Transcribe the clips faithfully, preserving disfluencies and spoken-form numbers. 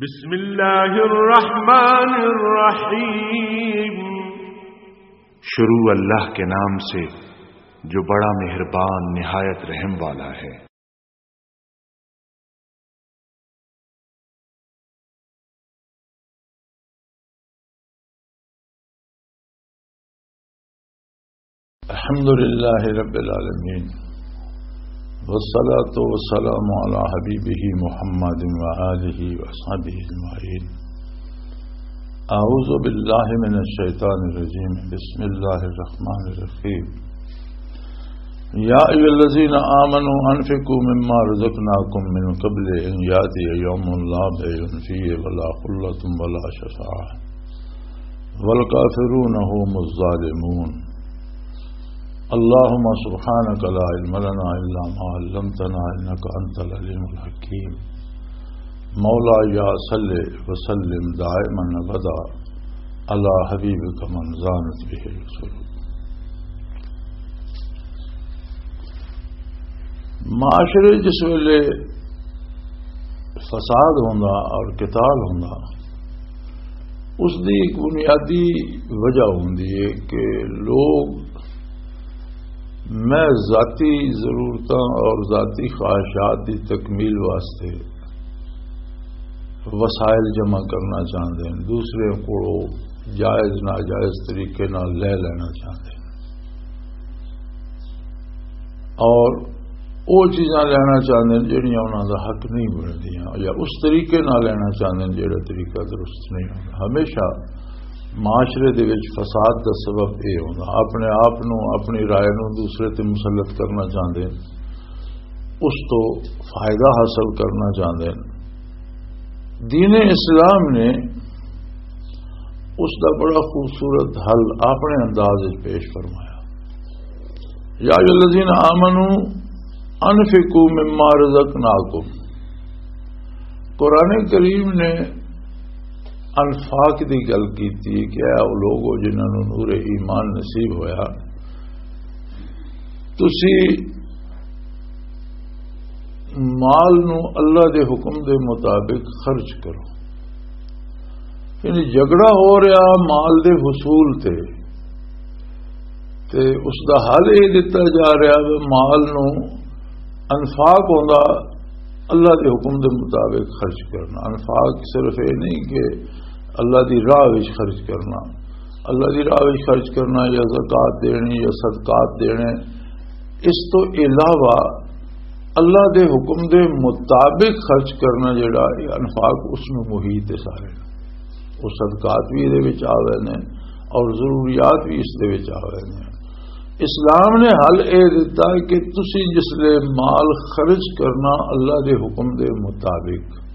بسم اللہ الرحمن الرحیم۔ شروع اللہ کے نام سے، جو بڑا مہربان، نہایت رحم والا ہے۔ الحمد لله رب العالمين، والصلاة والسلام على حبيبه محمد وآله وأصحابه أجمعين. أعوذ بالله من الشيطان الرجيم. بسم الله الرحمن الرحيم. يا أيها الذين آمنوا أنفقوا مما رزقناكم من قبل أن يأتي يوم لا بيع فيه ولا خلة ولا شفاعة والكافرون هم الظالمون. اللهم سبحانك لا علم لنا إلا ما علمتنا إنك أنت العليم الحكيم. مولاي صل وسلم دائما أبدا على حبيبك من زانت به القلوب. معاشرے جس ویلے فساد ہوندا اور قتال ہوندا، اس دی ایک بنیادی وجہ ہوندی ہے کہ لوگ محض ذاتی ضرورتاں اور ذاتی خواہشات دی تکمیل واسطے وسائل جمع کرنا چاہندے ہیں، دوسرے کولوں جائز ناجائز طریقے نال لے لینا چاہندے ہیں اور وہ چیزاں لینا چاہندے ہیں جڑیاں انہاں دا حق نہیں بندیاں، یا اس طریقے نال لینا چاہندے ہیں جڑا طریقہ درست نہیں ہوندا۔ ہمیشہ معاشرے دے وچ فساد دا سبب اے ہوندا، اپنے آپ نو، اپنی رائے نو دوسرے تے مسلط کرنا چاہندے ہیں، اس تو فائدہ حاصل کرنا چاہندے ہیں۔ دین اسلام نے اس دا بڑا خوبصورت حل اپنے انداز وچ پیش فرمایا۔ یا ایھا الذین آمنو انفقوا مما رزقناکم۔ قرآن کریم نے انفاق دی گل کیتی کہ اے او لوگ ہو جنہاں نوں نور ایمان نصیب ہویا، تسی مال نو اللہ دے حکم دے مطابق خرچ کرو۔ یعنی جھگڑا ہو رہا مال دے حصول تے، تے اس دا حل یہ دتا جا رہا کہ مال نو انفاق ہوندا اللہ دے حکم دے مطابق خرچ کرنا۔ انفاق صرف یہ نہیں کہ اللہ دی راہ وچ خرچ کرنا، اللہ دی راہ وچ خرچ کرنا یا زکوٰۃ دینی یا صدقات دینے، اس تو علاوہ اللہ دے حکم دے مطابق خرچ کرنا جڑا، یہ انفاق اس نو محیط ہے سارے۔ وہ صدقات بھی یہ وچ آ گئے نے اور ضروریات بھی اس دے وچ آ گئے نے۔ اسلام نے حل اے دیتا ہے کہ تسی جس لے مال خرچ کرنا اللہ دے حکم دے مطابق،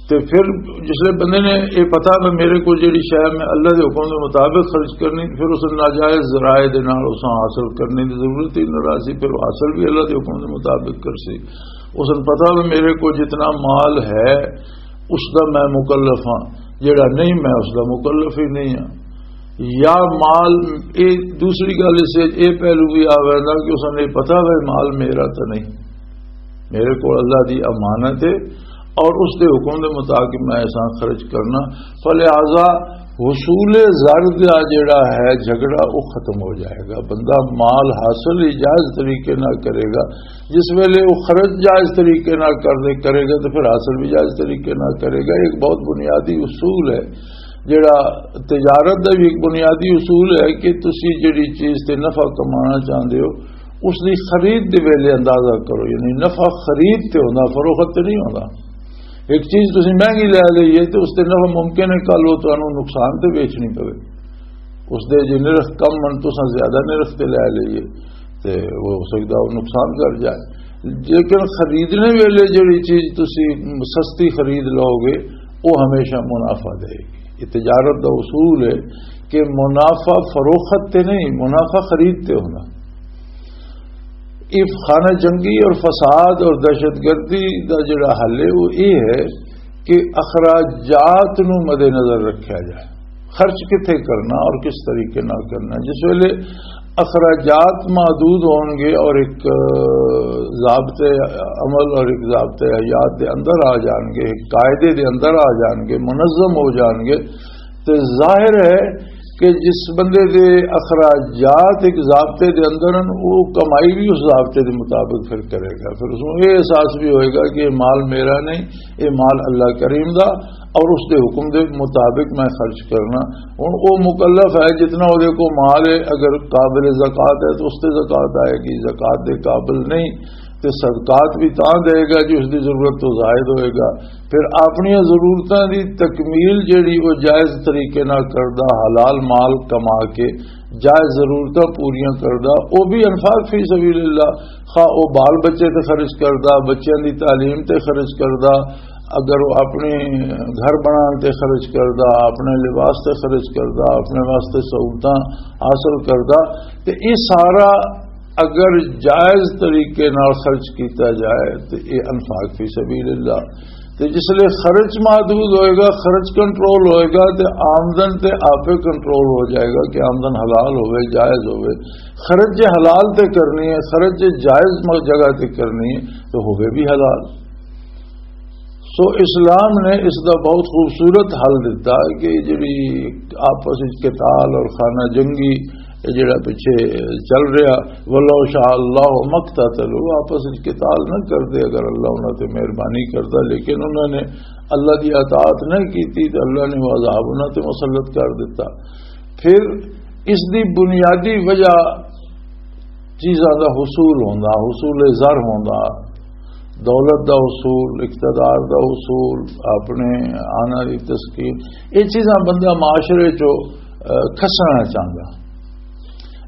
تے پھر جس لے بندے نے یہ پتا کہ میرے کو جڑی شے میں اللہ دے حکم دے مطابق خرچ کرنی، پھر اس ناجائز ذرائع دے نال اس حاصل کرنے دی ضرورت ہی نہ رہسی، پھر وہ حاصل بھی اللہ دے حکم دے مطابق کرسی۔ اس نے پتا کہ میرے کو جتنا مال ہے اس دا میں مکلف ہاں، جڑا نہیں میں اس دا مکلف ہی نہیں ہاں۔ یا مال، اے دوسری گل اس وچ اے پہلو بھی آ ویندا کہ اس نے پتا وے مال میرا تو نہیں، میرے کو اللہ دی امانت ہے اور اس دے حکم دے مطابق میں ایسا خرچ کرنا۔ فلہذا حصول زر دا جڑا ہے جھگڑا، وہ ختم ہو جائے گا۔ بندہ مال حاصل ہی جائز طریقے نال کرے گا، جس ویلے وہ خرچ جائز طریقے نال کر دے کرے گا تو پھر حاصل بھی جائز طریقے نال کرے گا۔ ایک بہت بنیادی اصول ہے، جڑا تجارت دا بھی ایک بنیادی اصول ہے کہ تسی جڑی چیز تے نفع کمانا چاہندے ہو، اس دی خرید دے ویلے اندازہ کرو، یعنی نفع خرید تے ہوندا، فروخت تے نہیں ہوندا۔ ایک چیز تسی مہنگی لے لئی ہے تے اس تے نفع ممکن ہے کل وہ تانوں نقصان تے بیچنی پوے، اس دے جے نرخ کم من تساں زیادہ نرخ تے لے لئی ہے تے وہ ہو سکدا وہ نقصان کر جائے۔ لیکن خریدنے ویلے جڑی چیز تسی سستی خرید لو گے، وہ ہمیشہ منافع دے گی۔ یہ تجارت دا اصول ہے کہ منافع فروخت تے نہیں، منافع خرید تے ہونا۔ یہ خانہ جنگی اور فساد اور دہشت گردی دا جڑا حل ہے، وہ یہ ہے کہ اخراجات نو مد نظر رکھا جائے، خرچ کتھے کرنا اور کس طریقے نال کرنا۔ جس ویلے اخراجات محدود ہون گے اور ایک، آ، ضابطے عمل اور ایک ضابطے حیات دے اندر آ جان گے، ایک قاعدے دے اندر آ جان گے، منظم ہو جان گے، تے ظاہر ہے کہ جس بندے دے اخراجات ایک ضابطے دے اندر ہیں، وہ کمائی بھی اس ضابطے دے مطابق پھر کرے گا۔ پھر اس کو یہ احساس بھی ہوئے گا کہ یہ مال میرا نہیں، یہ مال اللہ کریم دا، اور اس دے حکم دے مطابق میں خرچ کرنا۔ ہن او مکلف ہے، جتنا او دے کو مال ہے، اگر قابل زکوٰۃ ہے تو اس تے زکوٰۃ آئے گی، زکوٰۃ دے قابل نہیں تے صدقات بھی تاں دے گا جی اس دی ضرورت تو زائد ہوئے گا۔ پھر اپنی ضرورتاں دی تکمیل جیڑی وہ جائز طریقے نال کردا، حلال مال کما کے جائز ضرورتاں پوریاں کردا، او بھی انفاق فی سبیل اللہ، خواہ او بال بچے تے خرچ کردا، بچیاں دی تعلیم تے خرچ کردا، اگر وہ اپنے گھر بنان تے خرچ کردا، اپنے لباس تے خرچ کردا، اپنے واسطے سہولتاں حاصل کردا، تے یہ سارا اگر جائز طریقے نال خرچ کیتا جائے تے یہ انفاق فی سبیل اللہ۔ تے جس لئے خرچ محدود ہوئے گا، خرچ کنٹرول ہوئے گا، تے آمدن تے آپے کنٹرول ہو جائے گا کہ آمدن حلال ہوئے، جائز ہوئے۔ خرچ جے حلال تے کرنی ہے، خرچ جے جائز م-، جگہ تے کرنی ہے، تو ہوئے بھی حلال۔ سو اسلام نے اس دا بہت خوبصورت حل دتا کہ جڑی آپس وچ قتال اور خانہ جنگی، یہ جڑا پیچھے چل رہا، "ولو شاء اللہ مقتتلوا"، آپس وچ قتال نہ کردے اگر اللہ انہاں تے مہربانی کردا، لیکن انہاں نے اللہ دی اطاعت نہیں کیتی تے اللہ نے وہ عذاب انہاں تے مسلط کر دتا۔ پھر اس دی بنیادی وجہ چیزاں دا حصول ہوندا، حصول زر ہوندا، دولت دا حصول، اقتدار دا حصول، اپنے آنا دی تسکین، یہ چیزاں بندہ معاشرے چو، آ، کھسنا چاہندا۔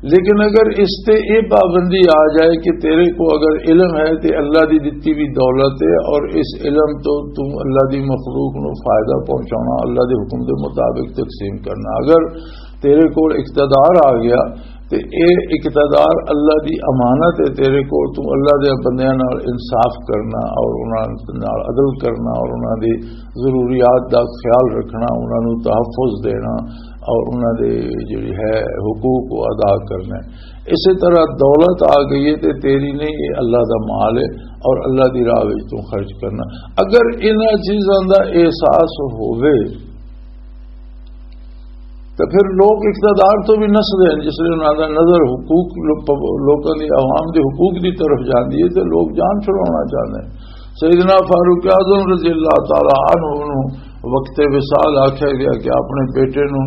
لیکن اگر اس تے یہ پابندی آ جائے کہ تیرے کو اگر علم ہے تے اللہ دی دتی بھی دولت ہے، اور اس علم تو تم اللہ دی مخلوق نو فائدہ پہنچانا، اللہ دے حکم دے مطابق تقسیم کرنا، اگر تیرے کول اقتدار آ گیا، تے اے اقتدار اللہ دی امانت ہے، تیرے کول تو اللہ دے بندیاں نال انصاف کرنا اور انہاں نال عدل کرنا اور انہاں دی ضروریات دا خیال رکھنا، انہاں نوں تحفظ دینا اور انہاں دے جڑی ہے حقوق کو ادا کرنا ہے۔ اسی طرح دولت آ گئی ہے تے تیری نہیں، یہ اللہ دا مال ہے اور اللہ دی راہ وچ تو خرچ کرنا۔ اگر انہاں چیزاں دا احساس ہووے، تے پھر لوگ اقتدار تو بھی نسدے ہیں، جس لئے انہاں دا نظر حقوق، لو-، لوکاں دی، عوام دے حقوق دی طرف جاندی ہے تے لوگ جان چھڑانا چاہندے ہیں۔ سیدنا فاروق اعظم رضی اللہ تعالی عنہ نوں وقت وصال آکھیا گیا کہ اپنے بیٹے نوں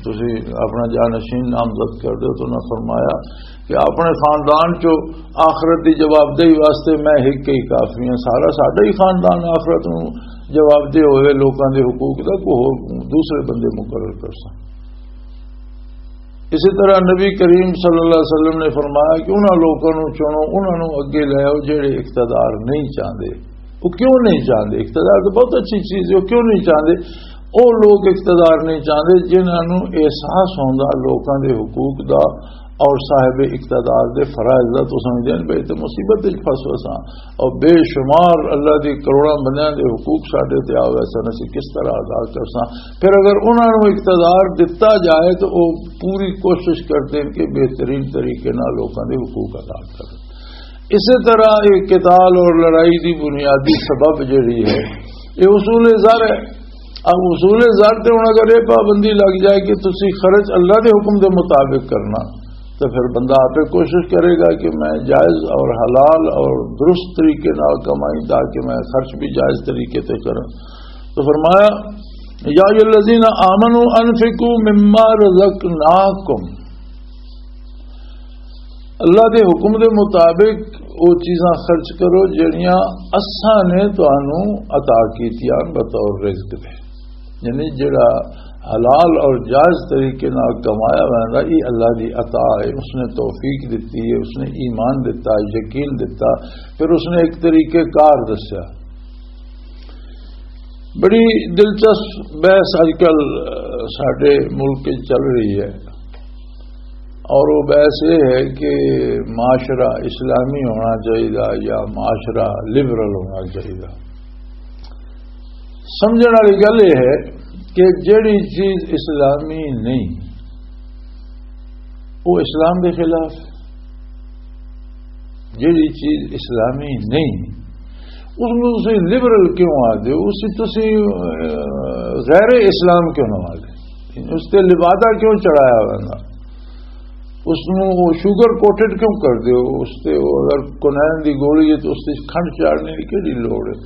تسی اپنا جانشین نامزد کر دیو، تو انہاں فرمایا کہ اپنے خاندان چو آخرت دی جوابدہی واسطے میں ایک ہی کافی ہاں، سارا ساڈا ہی خاندان آخرت نوں جوابدہ ہوئے لوکاں دے حقوق دا، کوئی ہور دوسرے بندے مقرر کر سن۔ اسی طرح نبی کریم صلی اللہ علیہ وسلم نے فرمایا کہ انہاں لوکاں نوں چنو، انہاں نوں اگے لے آؤ جڑے اقتدار نہیں چاہندے۔ وہ کیوں نہیں چاہندے؟ اقتدار تو بہت اچھی چیز ہے، وہ کیوں نہیں چاہندے؟ وہ لوگ اقتدار نہیں چاہندے جنہاں نوں احساس ہوندا لوکاں دے حقوق دا اور صاحب اقتدار دے فرائض دا۔ تو سمجھدے ہیں بھئی تے مصیبت وچ پھس وساں، اور بے شمار اللہ دی کروڑاں بندیاں دے حقوق ساڈے تے آ ویسن، اسی کس طرح ادا کرساں؟ پھر اگر انہاں نوں اقتدار دتا جائے تو وہ پوری کوشش کرتے ہیں کہ بہترین طریقے نال لوکاں دے حقوق ادا کرن۔ اسی طرح یہ قتال اور لڑائی دی بنیادی سبب جڑی ہے، یہ اصول زر ہے۔ اب اصول زر تے ہن اگر یہ پابندی لگ جائے کہ تسی خرچ اللہ دے حکم دے مطابق کرنا، تو پھر بندہ آپ کوشش کرے گا کہ میں جائز اور حلال اور درست طریقے نال کمائی تاکہ میں خرچ بھی جائز طریقے تے کروں۔ تو فرمایا، "یا ایھا الذین آمنوا انفقوا مما رزقناکم۔" اللہ دے حکم دے مطابق وہ چیزاں خرچ کرو جڑیاں اساں نے تانوں عطا کیتیاں بطور رزق دے۔ یعنی جڑا حلال اور جائز طریقے نال کمایا ہوا ہے، یہ اللہ دی عطا ہے، اس نے توفیق دتی ہے، اس نے ایمان دتا، یقین دتا، پھر اس نے ایک طریقے کار دسیا۔ بڑی دلچسپ بحث اج کل، آ، ساڈے ملک وچ چل رہی ہے، اور وہ بحث یہ ہے کہ معاشرہ اسلامی ہونا چاہیے یا معاشرہ لبرل ہونا چاہیے۔ سمجھنے والی گل یہ ہے کہ جڑی چیز اسلامی نہیں، وہ اسلام دے خلاف ہے۔ جیڑی چیز اسلامی نہیں، اس نوں تسی لبرل کیوں آ دیو؟ اس تسی، اہ، غیر اسلام کیوں نہ آ دیو؟ اس تے لبادہ کیوں چڑھایا ہونا؟ اس نوں شوگر کوٹڈ کیوں کر دیو؟ اس تے وہ اگر کونین دی گولی ہے تو اس تے کھنڈ چاڑنے دی کیڑی لوڑ ہے؟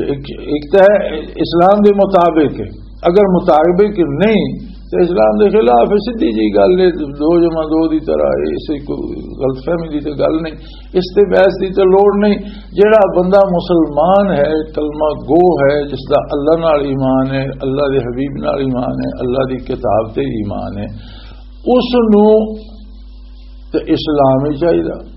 ایک، ایک تو ہے اسلام دے مطابق ہے، اگر مطابق نہیں تو اسلام دے خلاف ہے، سیدھی جی گل ہے، دو جمع دو دی طرح ہے، اس وچ کوئی غلط فہمی دی تے گل نہیں، اس تے بحث دی تے لوڑ نہیں۔ جیڑا بندہ مسلمان ہے، کلمہ گو ہے، جس دا اللہ نال ایمان ہے، اللہ دے حبیب نال ایمان ہے، اللہ دی کتاب تے ایمان ہے، اس نوں تے اسلام ہی چاہیدا۔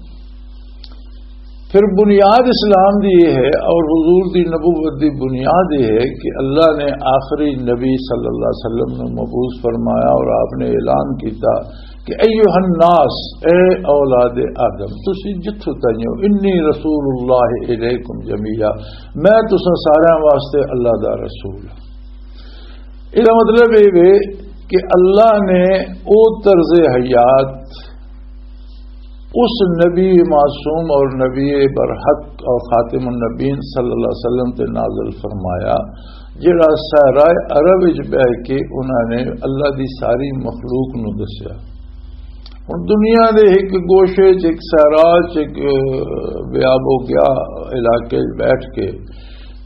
پھر بنیاد اسلام دی یہ ہے اور حضور دی نبوت دی بنیاد یہ ہے کہ اللہ نے آخری نبی صلی اللہ علیہ وسلم نو مبعوث فرمایا اور آپ نے اعلان کیتا کہ ایھا الناس، اے اولاد آدم، تسی جتھوں تائیں ہو، انی رسول اللہ الیکم جمیعا، میں تساں سارے واسطے اللہ دا رسول ہاں۔ یہ مطلب یہ ہے کہ اللہ نے او طرز حیات اس نبی معصوم اور نبی برحق اور خاتم النبین صلی اللہ علیہ وسلم تے نازل فرمایا، جڑا صحرائے عرب وچ بیٹھ کے انہاں نے اللہ دی ساری مخلوق نو دسیا۔ ہن دنیا دے ایک گوشے چ، ایک صحرا چ، ایک، اہ، بیاب و گیا علاقے چ بیٹھ کے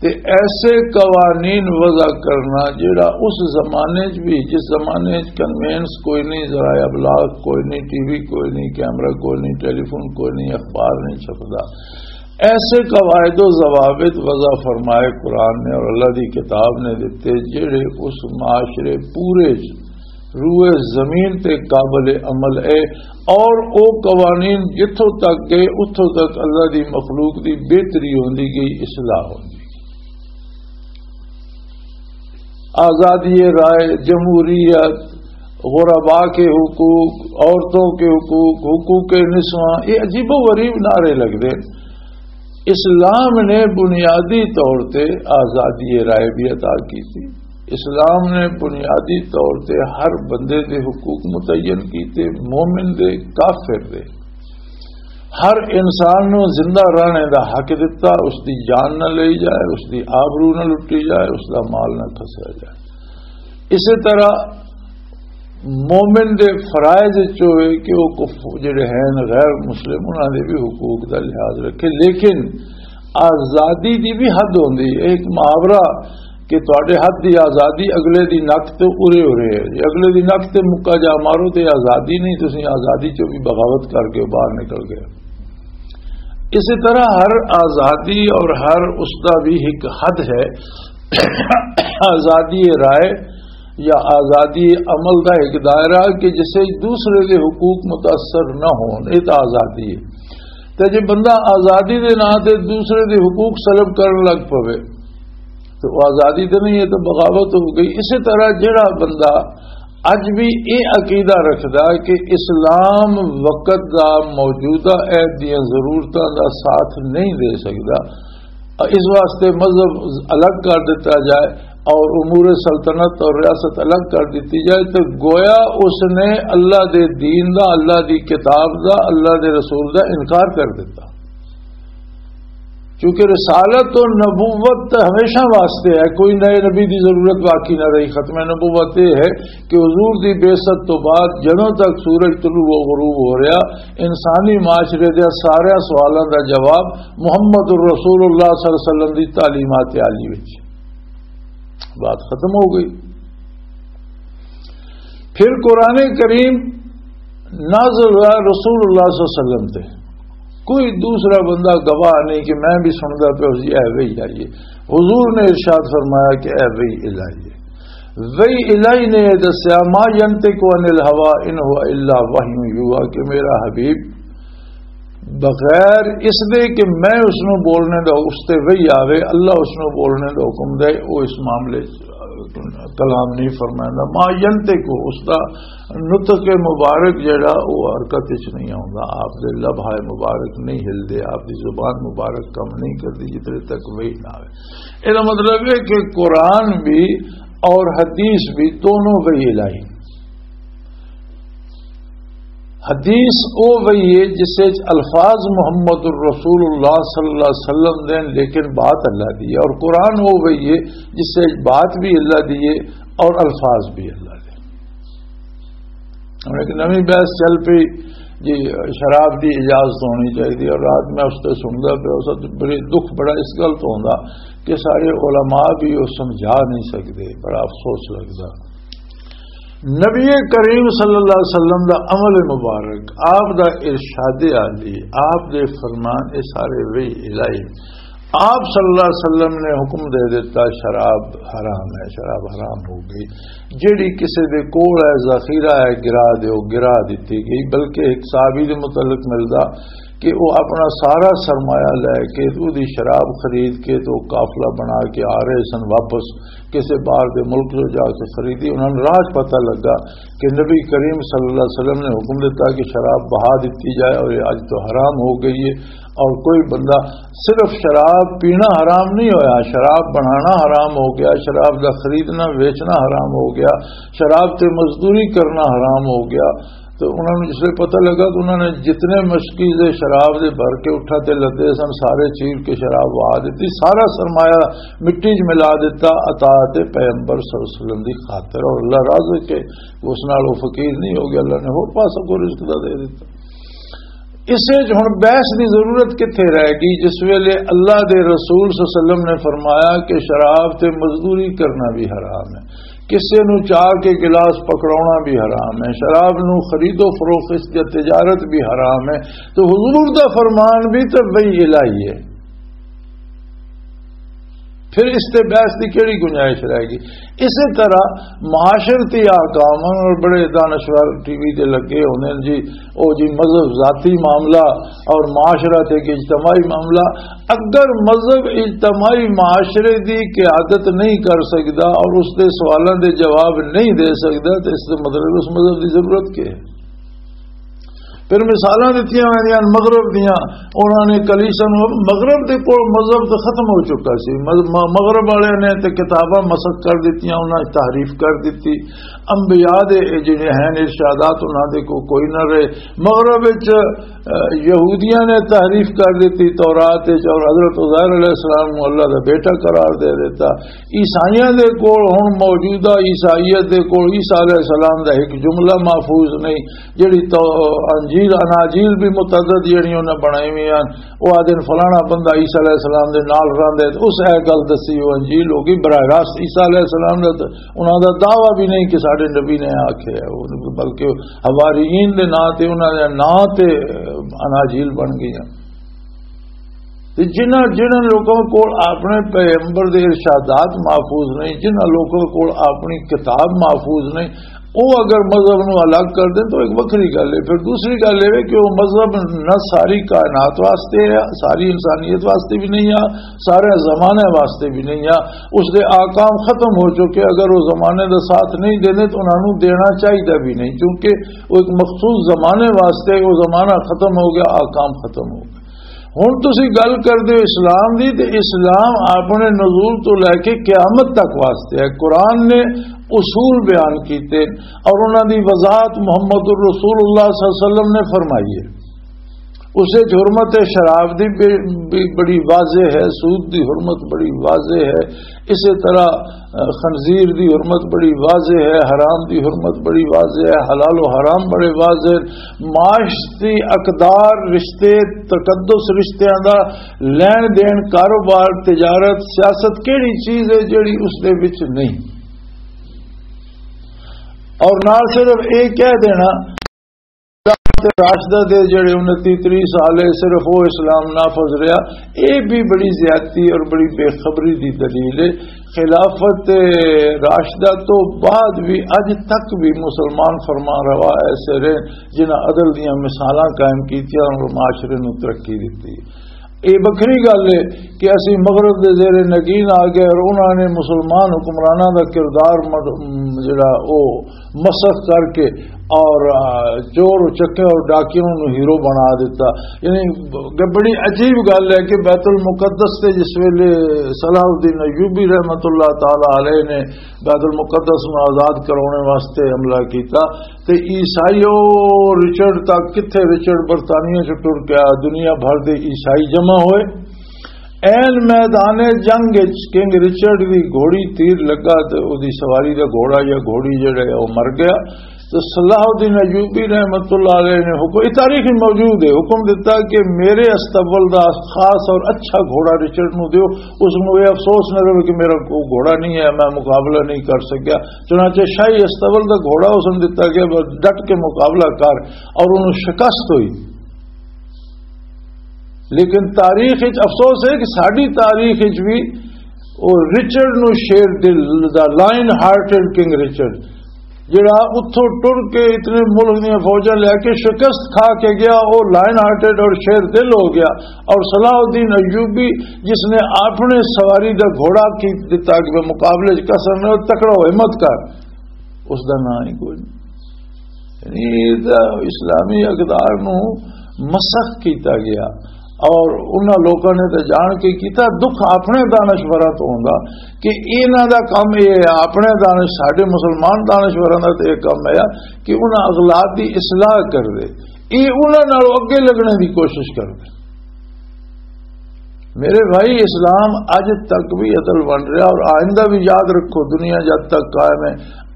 تے ایسے قوانین وضع کرنا جڑا اس زمانے چ بھی، جس زمانے چ کنوینس کوئی نہیں، ذرائع ابلاغ کوئی نہیں، ٹی وی کوئی نہیں، کیمرہ کوئی نہیں، ٹیلی فون کوئی نہیں، اخبار نہیں چھپدا، ایسے قواعد و ضوابط وضع فرمائے قرآن نے اور اللہ دی کتاب نے دتے، جڑے اس معاشرے پورے چ روئے زمین تے قابل عمل ہے، اور او قوانین جتھوں تک گئے، اتھوں تک اللہ دی مخلوق دی بہتری ہوندی گئی، اصلاح ہوندی گئی۔ آزادی رائے، جمہوریت، غربا کے حقوق، عورتوں کے حقوق، حقوق نسواں، یہ عجیب و غریب نعرے لگدے۔ اسلام نے بنیادی طور تے آزادی رائے بھی عطا کی تھی۔ اسلام نے بنیادی طور تے ہر بندے دے حقوق متعین کیتے، مومن دے، کافر دے۔ ہر انسان نو زندہ رہنے دا حق دتا، اس دی جان نہ لئی جائے، اس دی آبرو نہ لٹی جائے، اس دا مال نہ کھسیا جائے۔ اسی طرح مومن دے فرائض وچ ہوئے کہ وہ کف-، جڑے ہیں غیر مسلم، انہاں دے بھی حقوق دا لحاظ رکھے، لیکن آزادی دی بھی حد ہوندی ہے۔ ایک محاورہ کہ تواڈے ہاتھ دی آزادی اگلے دی نک تے ارے ارے ہے۔ جے اگلے دی نک تے مکا جا مارو تے آزادی نہیں، تسی آزادی چوں بھی بغاوت کر کے باہر نکل گئے۔ اسی طرح ہر آزادی اور ہر اس دا بھی ایک حد ہے۔ آزادی رائے یا آزادی عمل دا ایک دائرہ کہ جسے دوسرے دے حقوق متاثر نہ ہون، یہ تو آزادی ہے۔ تے جے بندہ آزادی دے نام تے دوسرے دے حقوق سلب کرن لگ پوے، تو وہ آزادی تے نہیں، یہ تو بغاوت ہو گئی۔ اسی طرح جڑا بندہ اج بھی یہ عقیدہ رکھدا کہ اسلام وقت دا، موجودہ عہد دیاں ضرورتاں دا ساتھ نہیں دے سکدا، اس واسطے مذہب الگ کر دیتا جائے اور امور سلطنت اور ریاست الگ کر دیتی جائے، تو گویا اس نے اللہ دے دین دا، اللہ دی کتاب دا، اللہ دے رسول دا انکار کر دیتا۔ کیونکہ رسالت و نبوت تے ہمیشہ واسطے ہے، کوئی نئے نبی دی ضرورت باقی نہ رہی۔ ختم نبوت یہ ہے کہ حضور دی بعثت تو بعد جدوں تک سورج طلوع و غروب ہو رہا، انسانی معاشرے دے سارے سوالاں دا جواب محمد الرسول اللہ صلی اللہ علیہ وسلم دی تعلیمات عالی وچ۔ بات ختم ہو گئی۔ پھر قرآن کریم نازل ہوا رسول اللہ صلی اللہ علیہ وسلم تے۔ کوئی دوسرا بندہ گواہ نہیں کہ میں بھی سندا پیا سی، اے وحی آئی ہے۔ حضور نے ارشاد فرمایا کہ اے وحی الہی ہے۔ وحی الہی نے یہ دسیا، "ما ينطق عن الهوى ان هو الا وحي يوحى"، کہ میرا حبیب بغیر اس دے کہ میں اس نو بولنے دا، اس تے وحی آوے، اللہ اس نو بولنے دا حکم دے، وہ اس معاملے چ کلام نہیں فرمائندا۔ ما ينطق، اس دا نطق مبارک جڑا، وہ حرکت وچ نہیں آوندا، آپ دے لبھائے مبارک نہیں ہلدے، آپ دی زبان مبارک کم نہیں کردی جتنے تک وحی نہ آوے۔ یہ مطلب ہے کہ قرآن بھی اور حدیث بھی دونوں وحی الہی۔ حدیث او وہی ہے جس وچ الفاظ محمد الرسول اللہ صلی اللہ علیہ وسلم دے، لیکن بات اللہ دی ہے، اور قرآن او وہی ہے جس وچ بات بھی اللہ دی ہے اور الفاظ بھی اللہ دے۔ ہن ایک نویں بحث چل پئی جی، شراب دی اجازت ہونی چاہیے، اور رات میں اس تے سندا پیا، اس وقت بڑے دکھ بڑا اس گل تو ہوندا کہ سارے علماء بھی وہ سمجھا نہیں سکدے، بڑا افسوس لگدا۔ نبی کریم صلی اللہ علیہ وسلم دا عمل مبارک، آپ دا ارشاد عالی، آپ دے فرمان، اے سارے وہی الہی۔ آپ صلی اللہ علیہ وسلم نے حکم دے دیتا، شراب حرام ہے، شراب حرام ہو گئی۔ جیڑی کسے دے کول ہے، ذخیرہ ہے، گرا دیو، گرا دتی گئی۔ بلکہ ایک صحابی دے متعلق ملدا کہ وہ اپنا سارا سرمایہ لے کے، تو دی شراب خرید کے، تو قافلہ بنا کے آ رہے سن واپس کسے باہر دے ملک چوں جا کے خریدی۔ انہاں نوں راہ 'چ پتہ لگا کہ نبی کریم صلی اللہ علیہ وسلم نے حکم دیتا کہ شراب بہا دتی جائے، اور یہ اج تو حرام ہو گئی ہے۔ اور کوئی بندہ، صرف شراب پینا حرام نہیں ہویا، شراب بنانا حرام ہو گیا، شراب دا خریدنا ویچنا حرام ہو گیا، شراب تے مزدوری کرنا حرام ہو گیا۔ تو انہاں نوں جس ویلے پتہ لگا تو انہاں نے جتنے مشکی دے شراب دے بھر کے اٹھا تے لدے سن، سارے چیر کے شراب وہا دتی، سارا سرمایہ مٹی 'چ ملا دتا، عطا تے پیغمبر صلی اللہ علیہ وسلم دی خاطر، اور اللہ راضی کہ اس نال وہ فقیر نہیں ہو گیا، اللہ نے ہور پاسوں کو رزق دا دے دتا۔ اس وچ ہن بحث دی ضرورت کتھے رہ گئی، جس ویلے اللہ دے رسول صلی اللہ علیہ وسلم نے فرمایا کہ شراب تے مزدوری کرنا بھی حرام ہے، کسے نوں چاہ کے گلاس پکڑاونا بھی حرام ہے، شراب نوں خرید و فروخت یا تجارت بھی حرام ہے، تو حضور دا فرمان بھی تو وہی الہی ہے۔ پھر اس تے بحث دی کیڑی گنجائش رہ گئی؟ اسی طرح معاشرتی احکام ہن، اور بڑے دانشور ٹی وی تے لگے ہوندے ہن جی، او جی مذہب ذاتی معاملہ اور معاشرہ تے کہ اجتماعی معاملہ۔ اگر مذہب اجتماعی معاشرے دی قیادت نہیں کر سکدا اور اس دے سوالاں دے جواب نہیں دے سکدا، تو اس دے مطلب اس مذہب دی ضرورت کی ہے؟ پھر مثالاں دتیاں ویندیاں ہن مغرب دیاں، انہاں نے کلیسا نوں، مغرب دے کول مذہب تے ختم ہو چکا سی، مذ-، م-، مغرب والے نے تے کتاباں مسخ کر دتیاں، انہاں نے تحریف کر دتی، انبیاء دے اے جڑے ہیں ارشادات انہاں دے کو کوئی نہ رہے۔ مغرب وچ، اہ، یہودیاں نے تحریف کر دتی تورات وچ، اور حضرت عزیر علیہ السلام نوں اللہ دا بیٹا قرار دے دیتا۔ عیسائیاں دے کول ہن موجودہ عیسائیت دے کول عیسیٰ علیہ السلام دا ایک جملہ محفوظ نہیں، جڑی تو انجیل، اناجیل بھی متعدد جڑی انہاں بنائی ہوئی ہیں، وہ آدھے فلانا بندہ عیسیٰ علیہ السلام دے نال رہندے، تے اس اے گل دسی، وہ انجیل ہو گئی براہ راست عیسیٰ علیہ السلام دا، تے انہاں دا دعویٰ بھی نہیں کہ ساڈے نبی نے آکھیا ہے، وہ بلکہ حواریین دے ناں تے، انہاں دے ناں تے اناجیل بن گئی ہیں۔ تے جنہاں، جنہاں لوکاں کول اپنے پیغمبر دے ارشادات محفوظ نہیں، جنہاں لوکاں کول اپنی کتاب محفوظ نہیں، وہ اگر مذہب نو الگ کر دیں تو ایک وکھری گل ہے۔ پھر دوسری گل یہ ہے کہ وہ مذہب نہ ساری کائنات واسطے ہے، ساری انسانیت واسطے بھی نہیں ہے، سارے زمانے واسطے بھی نہیں ہے۔ اس دے آکام ختم ہو چکے، اگر وہ زمانے دا ساتھ نہیں دینے تو انہاں نوں دینا چاہیدا بھی نہیں، کیونکہ وہ ایک مخصوص زمانے واسطے، وہ زمانہ ختم ہو گیا، آکام ختم ہو گیا۔ ہن تسی گل کردے ہو اسلام دی، تے اسلام اپنے نزول تو لے کے قیامت تک واسطے ہے۔ قرآن نے اصول بیان کیتے اور انہاں دی وضاحت محمد الرسول اللہ صلی اللہ علیہ وسلم نے فرمائی ہے۔ اس وچ حرمت شراب دی بے-، بے-، بڑی واضح ہے، سود دی حرمت بڑی واضح ہے، اسی طرح، اہ، خنزیر دی حرمت بڑی واضح ہے، حرام دی حرمت بڑی واضح ہے، حلال و حرام بڑے واضح ہیں۔ معاشرتی اقدار، رشتے، تقدس رشتیاں دا لین دین، کاروبار، تجارت، سیاست کیڑی چیز ہے جیڑی اس دے وچ نہیں؟ اور نال صرف یہ کہہ دینا، خلافت راشدہ دے جڑے انتی تری سال ہے، صرف وہ اسلام نافذ رہا، یہ بھی بڑی زیادتی اور بڑی بے خبری دی دلیل ہے۔ خلافت راشدہ تو بعد بھی اج تک بھی مسلمان فرمان روا ایسے رہے جنہاں عدل دیاں مثالاں قائم کیتیاں اور معاشرے نوں ترقی دتی۔ یہ وکھری گل ہے کہ اسی مغرب دے زیر نگین آ گئے اور انہاں نے مسلمان حکمراناں دا کردار مد-، م-، جڑا او مسخ کر کے اور، آ، چور چکے اور ڈاکیوں نوں ہیرو بنا دیتا۔ یعنی، ب-، بڑی عجیب گل ہے کہ بیت المقدس تے جس ویلے صلاح الدین ایوبی رحمت اللہ تعالی علیہ نے بیت المقدس نوں آزاد کرانے واسطے حملہ کیتا، تے عیسائی او رچرڈ تک، کتھے رچرڈ برطانیہ چ ٹر گیا، دنیا بھر دے عیسائی جمع ہوئے۔ این میدان جنگ وچ کنگ رچرڈ دی گھوڑی تیر لگا تے اودی سواری دا گھوڑا یا گھوڑی جڑا ہے، او مر گیا۔ تے صلاح الدین ایوبی رحمت اللہ علیہ نے حکم، یہ تاریخ وچ موجود ہے، حکم دتا کہ میرے استبل دا خاص اور اچھا گھوڑا رچرڈ نو دیو، اس نو یہ افسوس نہ رہے کہ میرا کوئی گھوڑا نہیں ہے، میں مقابلہ نہیں کر سکیا۔ چنانچہ شاہی استبل دا گھوڑا اس نوں دتا گیا، بس ڈٹ کے مقابلہ کر، اور انہوں شکست ہوئی۔ لیکن تاریخ وچ افسوس ہے کہ ساڈی تاریخ وچ بھی او رچرڈ نو شیر دل دا، لائن ہارٹڈ کنگ رچرڈ، جڑا اتھوں ٹر کے اتنے ملک دیاں فوجاں لے کے شکست کھا کے گیا، او لائن ہارٹڈ اور شیر دل ہو گیا۔ اور صلاح الدین ایوبی، جس نے اپنے سواری دا گھوڑا کی دتا کہ مقابلے چ کسر نہ، تکڑا ہو، ہمت کر، اس دا نام ہی کوئی نہیں۔ یعنی، یہ تاں اسلامی اقدار نو مسخ کیتا گیا۔ اور انہاں لوکاں نے تے جان کے کیتا، دکھ اپنے دانشوراں تو ہوندا کہ انہاں دا کم یہ ہے، اپنے دانش، ساڈے مسلمان دانشوراں دا تے یہ کم ہے کہ انہاں اغلاط دی اصلاح کر دے، یہ انہاں نال اگے لگنے دی کوشش کر دے۔ میرے بھائی، اسلام اج تک بھی عدل بن رہا اور آئندہ بھی، یاد رکھو، دنیا جب تک قائم ہے،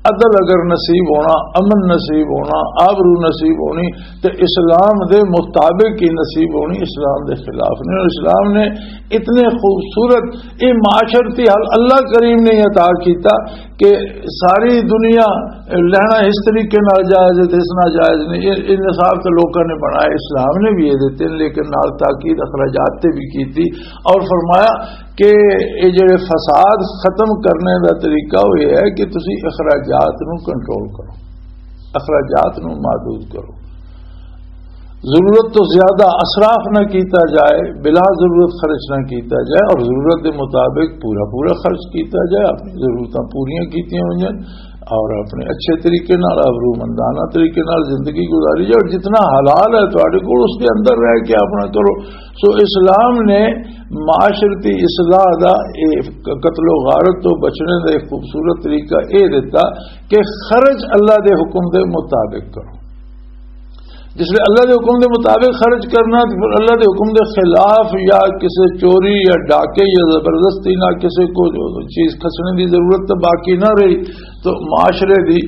عدل اگر نصیب ہونا، امن نصیب ہونا، آبرو نصیب ہونی، تے اسلام دے مطابق ہی نصیب ہونی، اسلام دے خلاف نہیں۔ اور اسلام نے اتنے خوبصورت یہ معاشرتی حل اللہ کریم نے عطا کیتا کہ ساری دنیا لہنا اس طریقے نال جائز ہے تے اس نال جائز نہیں۔ یہ، یہ نصاب تے لوکاں نے بنائے، اسلام نے بھی یہ دیتے ہیں، لیکن نال تاکید اخراجات تے بھی کیتی اور فرمایا کہ یہ جڑے فساد ختم کرنے دا طریقہ وہ یہ ہے کہ تسی اخراجات نو کنٹرول کرو، اخراجات نو محدود کرو، ضرورت تو زیادہ اسراف نہ کیتا جائے، بلا ضرورت خرچ نہ کیتا جائے، اور ضرورت دے مطابق پورا پورا خرچ کیتا جائے، اپنی ضرورتاں پوریاں کیتیاں ہوئیاں اور اپنے اچھے طریقے نال، ابرومندانہ طریقے نال زندگی گزاری جائے، اور جتنا حلال ہے تواڈے کول، اس کے اندر رہ کے اپنا کرو۔ سو اسلام نے معاشرتی اصلاح دا، اے قتل و غارت تو بچنے دا ایک خوبصورت طریقہ اے دیتا کہ خرچ اللہ دے حکم دے مطابق کرو۔ جس لئے اللہ دے حکم دے مطابق خرچ کرنا، تے پھر اللہ دے حکم دے خلاف یا کسے چوری یا ڈاکے یا زبردستی نہ کسے کو چیز کھسنے دی ضرورت تو باقی نہ رہی، تو معاشرے دی،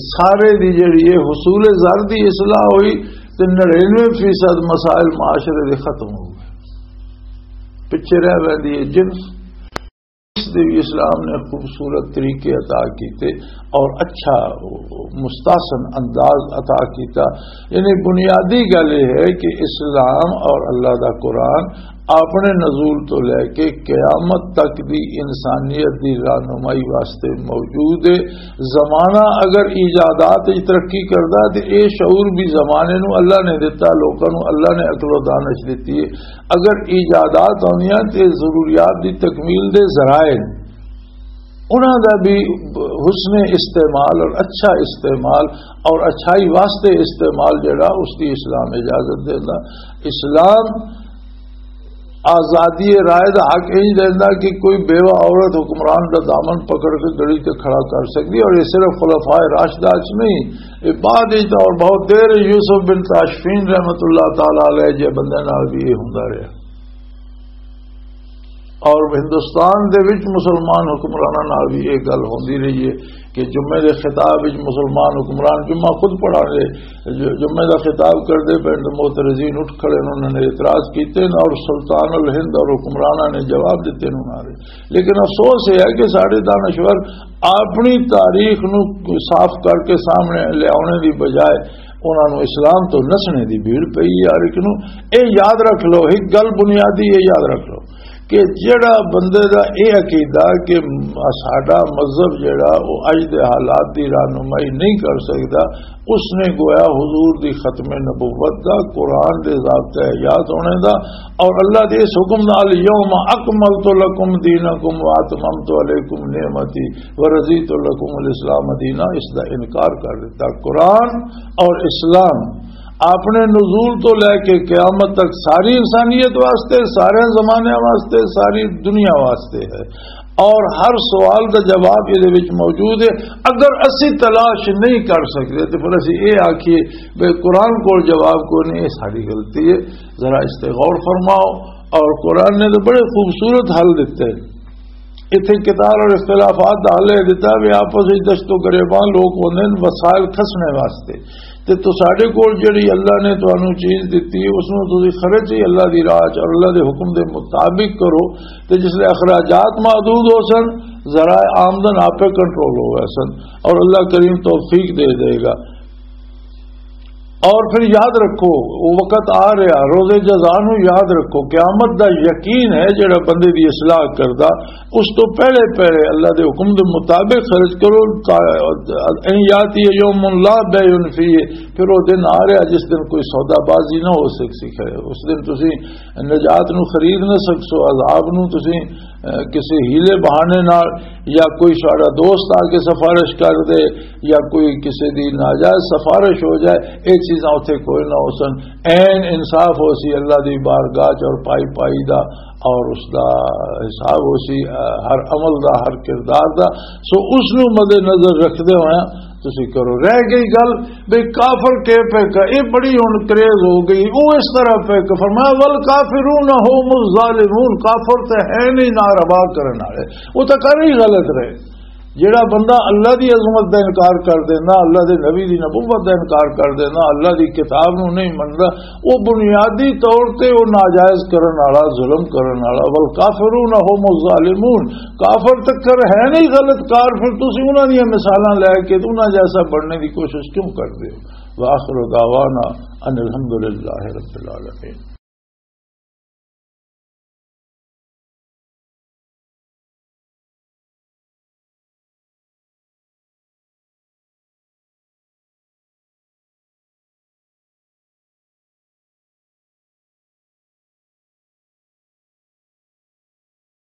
سارے دی جڑی ہے حصول زر دی اصلاح ہوئی، تے نڑینوے فیصد مسائل معاشرے دے ختم ہو گئے، پچھے رہ ویندی ہے جنس۔ اس دے بھی اسلام نے خوبصورت طریقے عطا کیتے اور اچھا مستحسن انداز عطا کیتا۔ یعنی بنیادی گل یہ ہے کہ اسلام اور اللہ دا قرآن اپنے نزول تو لے کے قیامت تک دی انسانیت دی رہنمائی واسطے موجود ہے۔ زمانہ اگر ایجادات وچ ترقی کردا، تے اے شعور بھی زمانے نو اللہ نے دتا، لوکاں نو اللہ نے عقل و دانش دتی ہے۔ اگر ایجادات ہوندیاں تے ضروریات دی تکمیل دے ذرائع نے، انہاں دا بھی حسن استعمال اور اچھا استعمال اور اچھائی واسطے استعمال جڑا، اس دی اسلام اجازت دیندا۔ اسلام آزادی رائے دا حق انج دیندا کہ کوئی بیوہ عورت حکمران دا دامن پکڑ کے گڑی تے کھڑا کر سکدی، اور یہ صرف خلفائے راشدہ چ نہیں، یہ بعد وچ اور بہت دیر یوسف بن تاشفین رحمت اللہ تعالی علیہ جے بندے نال بھی یہ ہوندا رہیا۔ اور ہندوستان دے وچ مسلمان حکمراناں نال بھی یہ گل ہوندی رہی ہے کہ جمعے دے خطاب وچ مسلمان حکمران جمعہ خود پڑھا رہے، ج-، جمعے دا خطاب کردے پئے تے معترضین اٹھ کھڑے، انہوں نے اعتراض کیتے نے اور سلطان الہند اور حکمراناں نے جواب دتے نے انہاں دے۔ لیکن افسوس یہ ہے کہ ساڈے دانشور اپنی تاریخ نو صاف کر کے سامنے لے آنے دی بجائے انہاں نو اسلام تو نسنے دی بھیڑ پئی ہے ہر ایک نو۔ اے یاد رکھ لو، ایک گل بنیادی اے یاد رکھ لو کہ جڑا بندے دا اے عقیدہ کہ ساڈا مذہب جڑا او اج دے حالات دی رہنمائی نہیں کر سکدا، اس نے گویا حضور دی ختم نبوت دا، قرآن دے ضابطہ حیات ہونے دا اور اللہ دے اس حکم دا، "الیوم اکملت لکم دینکم واتممت علیکم نعمتی ورضیت لکم الاسلام دینا"، اس دا انکار کر دیتا۔ قرآن اور اسلام اپنے نزول تو لے کے قیامت تک ساری انسانیت واسطے، سارے زمانے واسطے، ساری دنیا واسطے ہے، اور ہر سوال دا جواب یہ وچ موجود ہے۔ اگر اسی تلاش نہیں کر سکتے تو پھر اسی یہ آکھیے بھئی قرآن کو جواب کو نہیں، یہ ساری غلطی ہے۔ ذرا اس تے غور فرماؤ۔ اور قرآن نے تو بڑے خوبصورت حل دیتے ہیں۔ اتھے قتال اور اختلافات دا حل یہ دیتا بھی آپس وچ دشت و گریبان لوگ ہوندے نے وسائل کھسنے واسطے، تے تساڈے کول جڑی اللہ نے تانوں چیز دتی، اس نوں تسی خرچ ہی اللہ دی راہ چ اور اللہ دے حکم دے مطابق کرو، تے جس لے اخراجات محدود ہو سن، ذرائع آمدن آپے کنٹرول ہو گئے سن، اور اللہ کریم توفیق دے دے گا۔ اور پھر یاد رکھو، وہ وقت آ رہا، روزے جزا نو یاد رکھو، قیامت دا یقین ہے جڑا بندے دی اصلاح کردا، اس تو پہلے پہلے اللہ دے حکم دے مطابق خرچ کرو۔ کا-، ان یاتی یوم لا بیع فیہ، پھر وہ دن آ رہا جس دن کوئی سودا بازی نہ ہو سکسی ہے، اس دن تسی نجات نو خرید نہ سکسو، عذاب نو تسی، اہ، کسی ہیلے بہانے نال یا کوئی ساڈا دوست آ کے سفارش کر دے، یا کوئی کسی دی ناجائز سفارش ہو جائے، یہ چیزاں اتھے کوئی نہ ہو سن۔ عین انصاف ہو سی اللہ دی بارگاہ چ اور پائی پائی دا اور اس دا حساب ہو سی، آ، ہر عمل دا، ہر کردار دا۔ سو اس نو مد نظر رکھدے ہوئے تسی کرو۔ رہ گئی گل بے کافر کے پہ ک-، یہ بڑی ہن کریز ہو گئی، وہ اس طرح پہ ک-، فرمایا، "والکافرون هم الظالمون"، کافر تے ہے نہیں ناروا کرن والے، وہ تو کر ہی غلط رہے۔ جیڑا بندہ اللہ دی عظمت دا انکار کر دینا، اللہ دے نبی دی نبوت دا انکار کر دینا، اللہ دی کتاب نو نہیں مندا، وہ بنیادی طور تے وہ ناجائز کرن والا، ظلم کرن والا۔ "والکافرون هم الظالمون"، کافر تے کر ہے نہیں غلط کار، پھر تسی انہاں دیاں مثالاں لے کے تے انہاں جیسا بننے دی کوشش کیوں کردے ہو؟ وآخر دعوانا ان الحمدللہ رب العالمین۔